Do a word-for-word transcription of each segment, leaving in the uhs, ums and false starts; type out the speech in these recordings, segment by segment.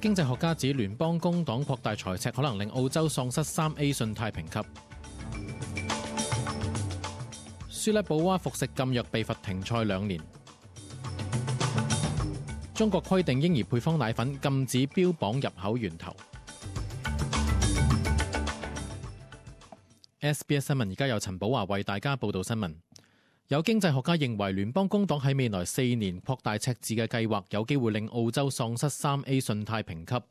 經濟學家指聯邦工黨擴大財赤可能令澳洲喪失三 A 信貸評級。舒拉保娃服食禁藥被罰停賽兩年。中國規定嬰兒配方奶粉禁止標榜入口源頭。S B S 新聞而家由陳寶華為大家報道新聞。有經濟學家認為聯邦工黨喺未來四年擴大赤字嘅計劃有機會令澳洲喪失三 A 信貸評級。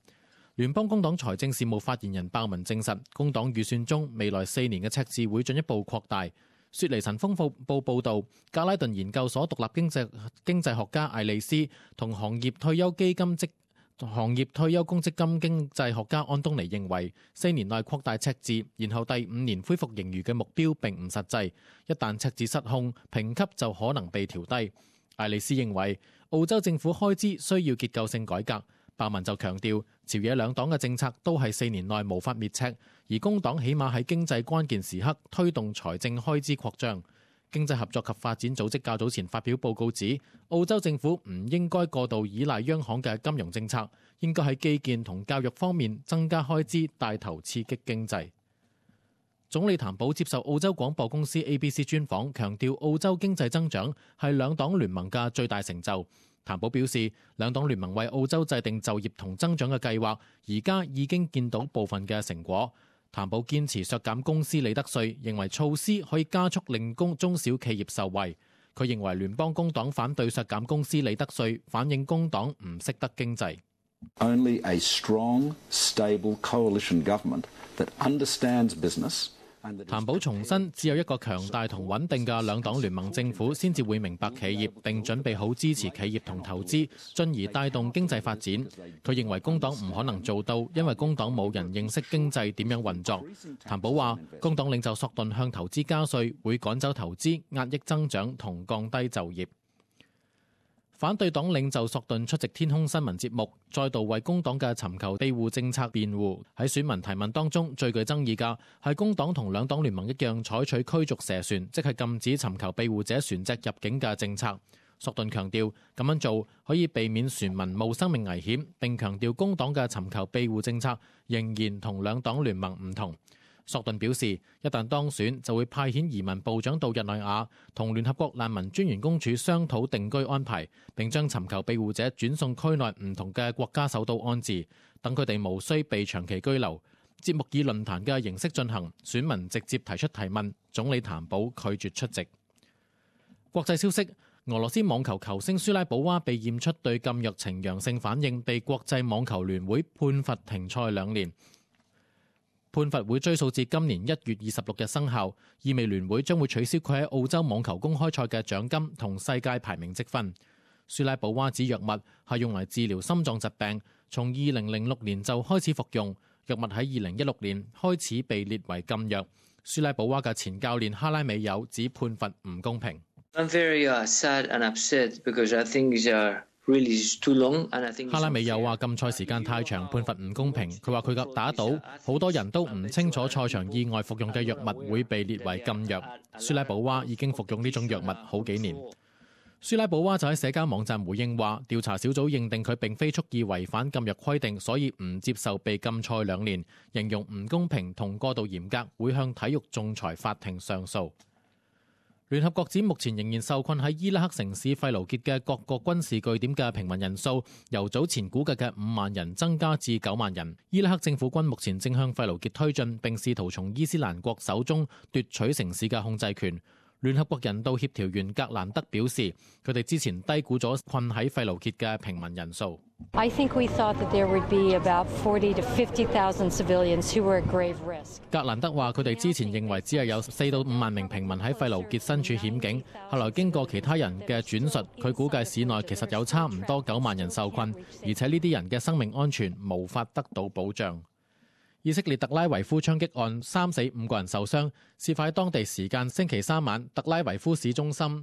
聯邦工黨財政事務發言人鮑文證實，工黨預算中未來四年嘅赤字會進一步擴大。雪梨晨風報報導，格拉頓研究所獨立經濟經濟學家艾利斯同行業退休基金職行業退休公積金經濟學家安東尼認為，四年內擴大赤字，然後第五年恢復盈餘嘅目標並唔實際。一旦赤字失控，評級就可能被調低。艾利斯認為，澳洲政府開支需要結構性改革。鮑文就強調，朝野兩黨嘅政策都係四年內無法滅赤，而工黨起碼喺經濟關鍵時刻推動財政開支擴張。經濟合作及發展組織較早前發表報告指，澳洲政府唔應該過度依賴央行嘅金融政策，應該喺基建同教育方面增加開支，帶頭刺激經濟。總理譚寶接受澳洲廣播公司 A B C 專訪，強調澳洲經濟增長係兩黨聯盟嘅最大成就。譚寶表示，兩黨聯盟為澳洲制定就業同增長嘅計劃，而家已經見到部分嘅成果。譚寶堅持削減公司利得稅，認為措施可以加速令公中小企業受惠。佢認為聯邦工黨反對削減公司利得稅，反映工黨唔識得經濟。Only a strong, stable coalition government that understands business. 譚寶重申，只有一個強大同穩定嘅兩黨聯盟政府，先至會明白企業並準備好支持企業同投資，進而帶動經濟發展。佢認為工黨唔可能做到，因為工黨冇人認識經濟點樣運作。譚寶話，工黨領袖索頓向投資加稅，會趕走投資、壓抑增長同降低就業。反對黨領袖索頓出席天空新聞節目，再度為工黨嘅尋求庇護政策辯護。喺選民提問當中，最具爭議嘅係工黨同兩黨聯盟一樣採取驅逐蛇船，即係禁止尋求庇護者船隻入境嘅政策。索頓強調咁樣做可以避免船民冒生命危險，並強調工黨嘅尋求庇護政策仍然同兩黨聯盟唔同。索頓表示，一旦當選就會派遣移民部長到日內瓦，同聯合國難民專員公署商討定居安排，並將尋求庇護者轉送區內唔同嘅國家首都安置，等佢哋無需被長期居留。節目以論壇嘅形式進行，選民直接提出提問，總理譚寶拒絕出席。國際消息，俄羅斯網球球星舒拉保娃被驗出對禁藥呈陽性反應，被國際網球聯會判罰停賽兩年。判罰會追溯至今年一月二十六日生效，意味聯會將會取消佢喺澳洲網球公開賽嘅獎金同世界排名積分。舒拉保娃指藥物係用嚟治療心臟疾病，從二零零六年就開始服用，藥物喺二零一六年開始被列為禁藥。舒拉保娃嘅前教練哈拉美友指判罰唔公平。I'm very, uh, sad and upset because I think it's, uh... Really too long, and I think 哈拉美又話禁賽時間太長，判罰唔公平。佢話佢嘅打賭，好多人都唔清楚賽場意外服用嘅藥物會被列為禁藥。舒拉保娃已經服用呢種藥物好幾年。舒拉保娃就喺社交網站回應話，調查小組認定佢並非蓄意違反禁藥規定，所以唔接受被禁賽兩年，形容唔公平同過度嚴格，會向體育仲裁法庭上訴。聯合國指目前仍然受困喺伊拉克城市費盧傑嘅各個軍事據點嘅平民人數，由早前估計嘅五萬人增加至九萬人。伊拉克政府軍目前正向費盧傑推進，並試圖從伊斯蘭國手中奪取城市嘅控制權。聯合國人道協調員格蘭德表示，佢哋之前低估咗困喺費盧傑嘅平民人數。I think we thought that there would be about forty to fifty thousand civilians who were at grave risk. 格蘭德話：佢哋之前認為只係有四到五萬名平民喺費盧傑身處險境，後來經過其他人嘅轉述，佢估計市內其實有差唔多九萬人受困，而且呢啲人嘅生命安全無法得到保障。以色列特拉維夫槍擊案三死五個人受傷，事發喺當地時間星期三晚，特拉維夫市中心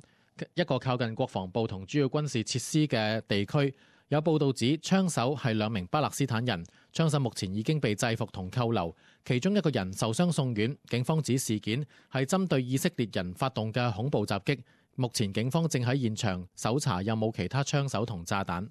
一個靠近國防部同主要軍事設施嘅地區。有報道指槍手係兩名巴勒斯坦人，槍手目前已經被制服同扣留，其中一個人受傷送院。警方指事件係針對以色列人發動嘅恐怖襲擊，目前警方正喺現場搜查有冇其他槍手同炸彈。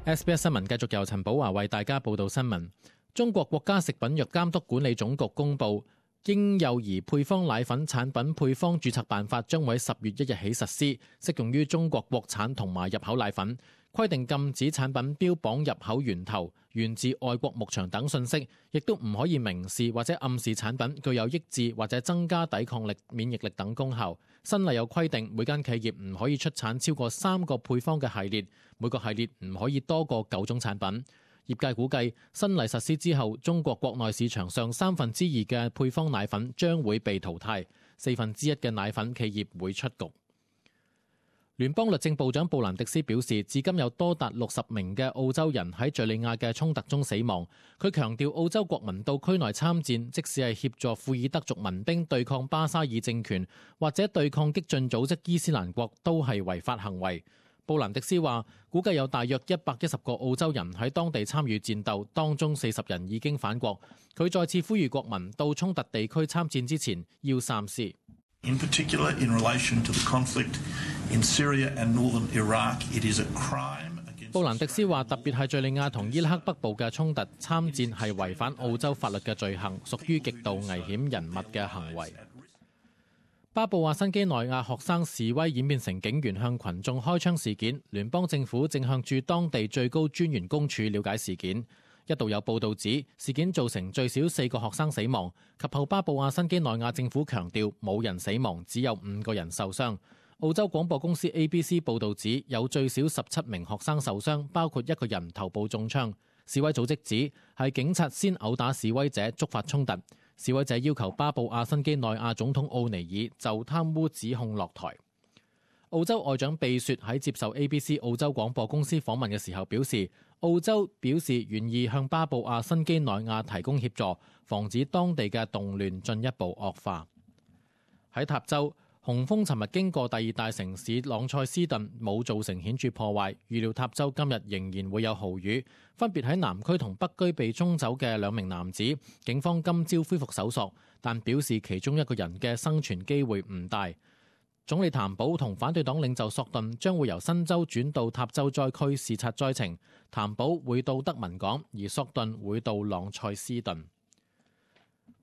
S B S 新聞繼續由陳寶華為大家報道新聞。中國國家食品藥監督管理總局公布，嬰幼兒配方奶粉產品配方註冊辦法將會喺十月一日起實施，適用於中國國產同埋入口奶粉。規定禁止產品標榜入口源頭、源自外國牧場等信息，亦都唔可以明示或者暗示產品具有抑制或者增加抵抗力、免疫力等功效。新例有規定，每間企業唔可以出產超過三個配方嘅系列，每個系列唔可以多過九種產品。業界估計，新例實施之後，中國國內市場上三分之二嘅配方奶粉將會被淘汰，四分之一嘅奶粉企業會出局。聯邦律政部長布蘭迪斯表示，至今有多達六十名嘅澳洲人喺敘利亞嘅衝突中死亡。佢強調，澳洲國民到區內參戰，即使係協助庫爾德族民兵對抗巴沙爾政權，或者對抗激進組織伊斯蘭國，都係違法行為。布蘭迪斯話，估計有大約一百一十個澳洲人喺當地參與戰鬥，當中四十人已經返國。佢再次呼籲國民到衝突地區參戰之前要三思。In particular, in relation to the conflict in Syria and northern Iraq, it is a crime against... 布蘭迪斯話，特別係敘利亞同伊拉克北部嘅衝突，參戰係違反澳洲法律嘅罪行，屬於極度危險人物嘅行為。巴布亞新畿內亞學生示威演變成警員向群眾開槍事件，聯邦政府正向駐當地最高專員公署了解事件。一度有報道指事件造成最少四個學生死亡，及後巴布亞新畿內亞政府強調冇人死亡，只有五個人受傷。澳洲廣播公司 A B C 報道指有最少十七名學生受傷，包括一個人頭部中槍。示威組織指係警察先毆打示威者，觸發衝突。示威者要求巴布亞新畿內亞總統奧尼爾就貪污指控落台。澳洲外長貝雪喺接受 A B C 澳洲廣播公司訪問嘅時候表示，澳洲表示願意向巴布亞新畿內亞提供協助，防止當地嘅動亂進一步惡化。喺塔州，洪峰尋日經過第二大城市朗塞斯頓，冇造成顯著破壞。預料塔州今日仍然會有豪雨。分別喺南區同北區被沖走嘅兩名男子，警方今朝恢復搜索，但表示其中一個人嘅生存機會唔大。總理譚寶同反對黨領袖索頓將會由新州轉到塔州災區視察災情，譚寶會到德文港，而索頓會到朗塞斯頓。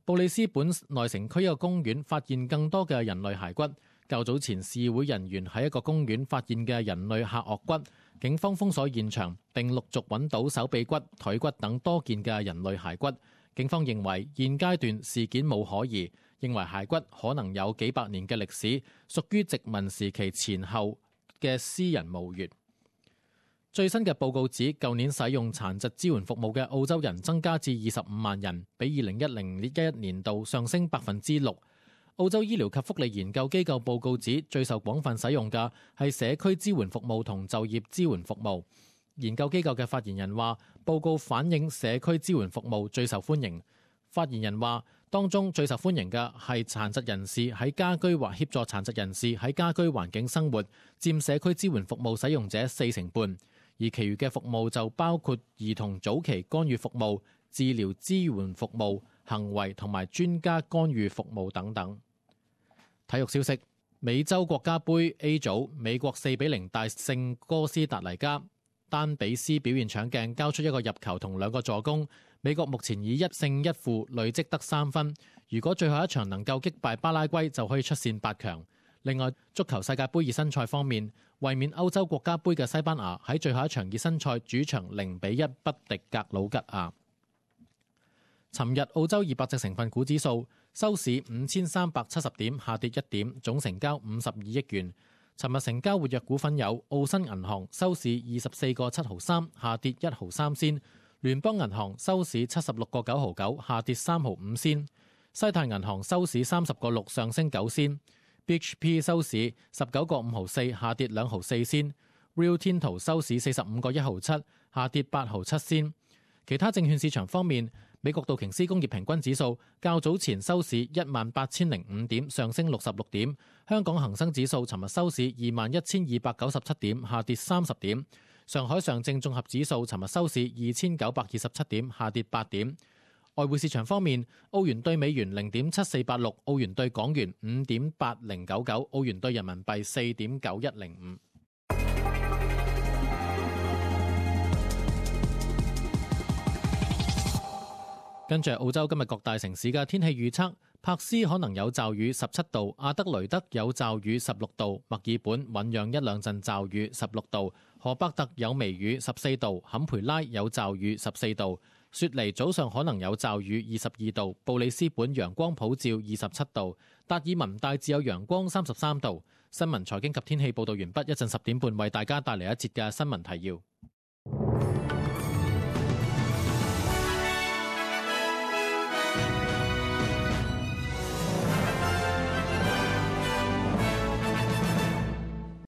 布里斯本內城區一個公園發現更多嘅人類骸骨。較早前示威人員喺一個公園發現嘅人類下顎骨，警方封鎖現場並陸續揾到手臂骨、腿骨等多件嘅人類骸骨。警方認為現階段事件冇可疑，認為骸骨可能有幾百年嘅歷史，屬於殖民時期前後嘅私人墓穴。最新嘅報告指，舊年使用殘疾支援服務嘅澳洲人增加至二十五萬人，比二零一零一一年度上升百分之六。澳洲醫療及福利研究機構報告指，最受廣泛使用嘅係社區支援服務同就業支援服務。研究機構嘅發言人話，報告反映社區支援服務最受歡迎。發言人話，當中最受歡迎嘅係殘疾人士喺家居或協助殘疾人士喺家居環境生活，佔社區支援服務使用者四成半。而其餘嘅服務就包括兒童早期干預服務、治療支援服務、行為同埋專家干預服務等等。體育消息：美洲國家盃 A 組，美國四比零大勝哥斯達黎加，丹比斯表現搶鏡，交出一個入球同兩個助攻。美國目前以一勝一負累積得三分，如果最後一場能夠擊敗巴拉圭，就可以出線八強。另外，足球世界盃熱身賽方面，衛冕歐洲國家盃嘅西班牙喺最後一場熱身賽主場零比一不敵格魯吉亞。尋日澳洲二百隻成分股指數收市五千三百七十點，下跌一點，總成交五十二億元。尋日成交活躍股份有澳新銀行收市二十四個七毫三，下跌一毫三仙；聯邦銀行收市七十六個九毫九，下跌三毫五仙；西泰銀行收市三十個六，上升九仙。B H P 收市十九個五毫四，下跌兩毫四仙。Rio Tinto 收市四十五個一毫七，下跌八毫七仙。其他證券市場方面，美國道瓊斯工業平均指數較早前收市一萬八千零五點，上升六十六點。香港恒生指數尋日收市二萬一千二百九十七點，下跌三十點。上海上證綜合指數尋日收市二千九百二十七點，下跌八點。外匯市場方面，澳元對美元零點七四八六，澳元對港元五點八零九九，澳元對人民幣四點九一零五。跟住澳洲今日各大城市嘅天氣預測，柏斯可能有驟雨十七度，阿德雷德有驟雨十六度，墨爾本醞釀一兩陣驟雨十六度，荷伯特有微雨十四度，坎培拉有驟雨十四度，雪梨早上可能有驟雨二十二度，布里斯本陽光普照二十七度，達爾文大致有陽光三十三度。新聞財經及天氣報導完畢，一陣十點半為大家帶嚟一節嘅新聞提要。